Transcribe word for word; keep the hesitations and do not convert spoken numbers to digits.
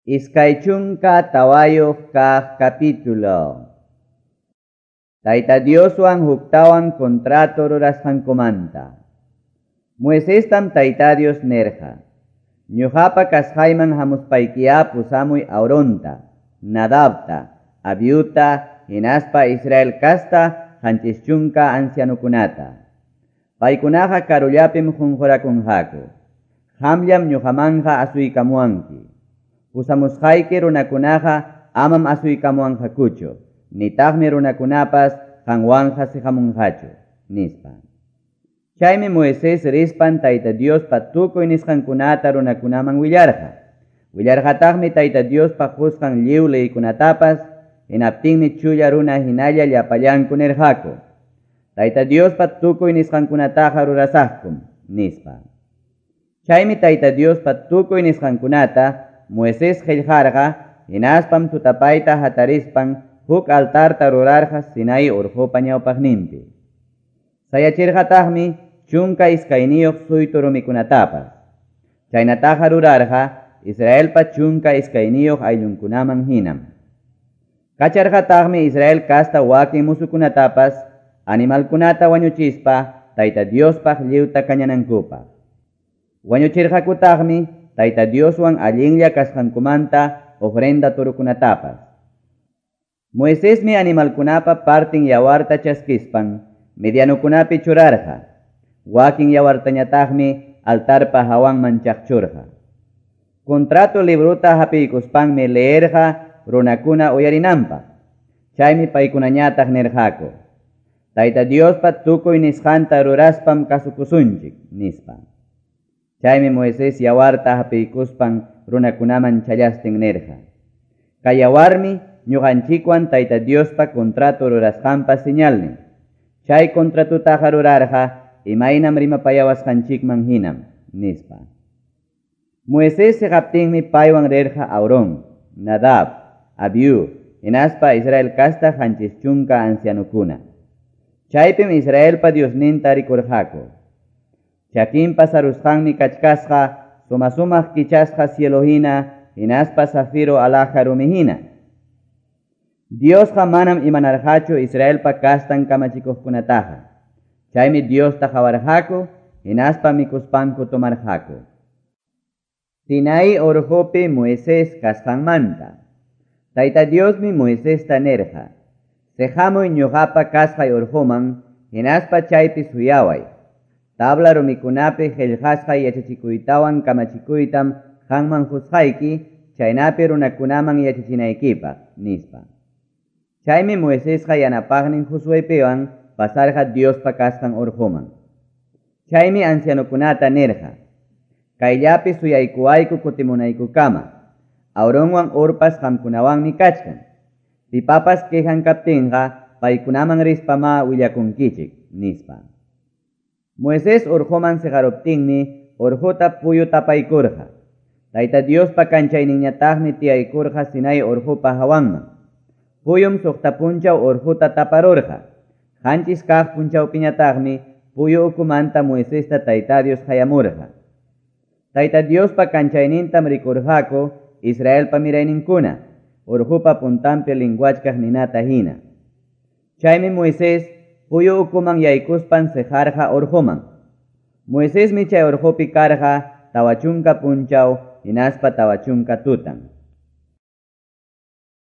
Iskay chunka tawayuq kaq capítulo. Tayta Dioswan huktawan contrato rurasqankumanta. Moisestam Tayta Dios nerqa: Ñuqapa kasqayman hamuspaykiya pusamuy Aaronta, Nadabta, Abiuta, hinaspa Israel kasta qanchis chunka ancianukunata. Paykunaqa karullapim qunqurakunqaku. Qamllam ñuqamanqa asuykamuwanki. Pusamusqayki runakunaqa amam asuykamuwanqakuchu, nitaqmi runakunapas qanwanqa siqamunqachu, nispa. Chaymi Moisés rispan Tayta Diospa tukuy nisqankunata runakunaman willarqa. Willarqataqmi Tayta Diospa qusqan lliw leykunatapas, hinaptinmi chulla runa hinalla llapallanku nirqaku: Tayta Diospa tukuy nisqankunataqa rurasaqkum, nispa. Chaymi Tayta Diospa tukuy nisqankunata Moisés qillqarqa, hinaspam tutapayta hatarispan huk altarta rurarqa Sinai urqupa ñawpaqninpi. Sayachirqataqmi chunka iskayniyuq suytu rumikunatapas. Chaynataqa rurarqa Israelpa chunka iskayniyuq ayllunkunaman hinam. Kacharqataqmi Israel kasta wakin musukunatapas animalkunata wañuchispa Tayta Diospaq lliwta kañanankupaq. Wañuchirqakutaqmi Tayta Dioswan allinlla kasqankumanta ofrenda turukunatapas. Moisesmi animalkunapa partin yawarta chaskispan medianukunapi churarqa. Wakin yawartañataqmi altarpa hawanman chaqchurqa. Contrato libruta hapiykuspanmi leerqa runakuna uyarinanpaq. Chaymi paykunañataq nirqaku: Tayta Diospa tukuy nisqanta ruraspam kasukusunchik, nispa. Chaymi Moisés yawarta hapiykuspan runakunaman challastin nirqa: Kay yawarmi ñuqanchikwan Tayta Diospa contrato rurasqanpa señalnin. Chay contratutaqa rurarqa imaynam rimapayawasqanchikman hinam, nispa. Moisés siqaptinmi paywan rirqa Aarón, Nadab, Abiú, hinaspa Israel kasta qanchis chunka ancianukuna. Chaypim Israelpa Diosninta rikurqaku. Chakinpa sarusqanmi kachkasqa suma-sumaq kichasqa cielo hina, hinaspa zafiro alhaja rumi hina. Diosqa manam imanarqachu Israelpa kastan kamachikuqkunataqa. Chaymi Diosta qawarqaku, hinaspa mikuspanku tomarqaku. Sinai urqupi Moisés kasqanmanta. Tayta Diosmi Moisesta nirqa: Siqamuy ñuqapa kasqay urquman, hinaspa chaypi suyaway. Tabla rumikunapi qillqasqa yachachikuytawan kamachikuytam qanman qusqayki, chaynapi runakunaman yachachinaykipaq, nispa. Chaymi Moisesqa yanapaqnin Josuepiwan pasarqa Diospa kasqan urquman. Chaymi ancianukunata nirqa: Kayllapi suyaykuwayku kutimunaykukama. Aaronwan Hurpas qamkunawanmi kachkan. Pipapas quejan kaptinqa paykunaman rispama willakunkichik, nispa. Moisés urquman siqaruptinmi urquta puyu tapaykurqa. Tayta Diospa kanchayninñataqmi tiyaykurqa Sinai urqupa hawanman. Puyum suqta punchaw urquta taparurqa. Qanchis kaq punchawpiñataqmi puyu ukumanta Moisesta Tayta Dios qayamurqa. Tayta Diospa kanchaynintam rikurqaku Israelpa mirayninkuna, urqupa puntanpi linguachkaq ninata hina. Chaymi Moisés puyu ukuman yaykuspan siqarqa urquman. Moisesmi chay urqupi karqa tawa chunka punchaw hinaspa tawa chunka tutan.